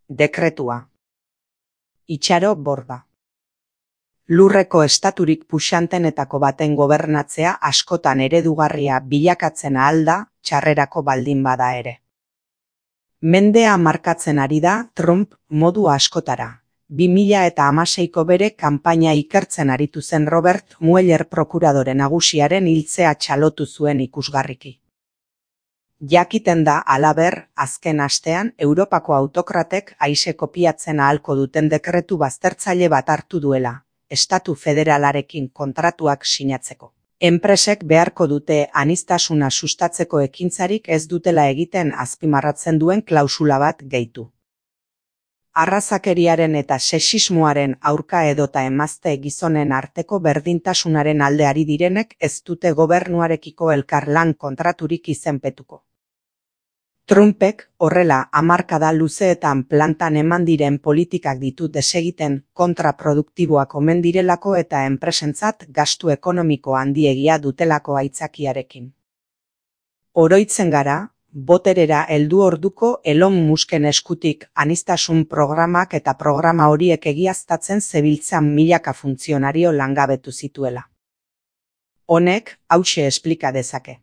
Dekretua. Itxaro Borba. Lurreko estaturik puxantenetako baten gobernatzea askotan eredugarria bilakatzen ahal da, txarrerako baldin bada ere. Mendea markatzen ari da Trump modu askotara. 2016ko bere kanpaina ikertzen aritu zen Robert Mueller prokuradore nagusiaren hiltzea txalotu zuen ikusgarriki. Jakiten da, halaber, azken astean Europako autokratek aise kopiatzen ahalko duten dekretu baztertzaile bat hartu duela, estatu federalarekin kontratuak sinatzeko. Enpresek beharko dute aniztasuna sustatzeko ekintzarik ez dutela egiten azpimarratzen duen klausula bat gehitu. Arrazakeriaren eta sexismoaren aurka edota emazte gizonen arteko berdintasunaren alde ari direnek ez dute gobernuarekiko elkarlan kontraturik izenpetuko. Trumpek horrela hamarkada luzeetan plantan eman diren politikak ditu desegiten kontraproduktiboak omen direlako eta enpresentzat gastu ekonomiko handiegia dutelako aitzakiarekin. Oroitzen gara, boterera heldu orduko Elon Musken eskutik aniztasun programak eta programa horiek egiaztatzen zebiltzan milaka funtzionario langabetu zituela. Honek hauxe esplika dezake.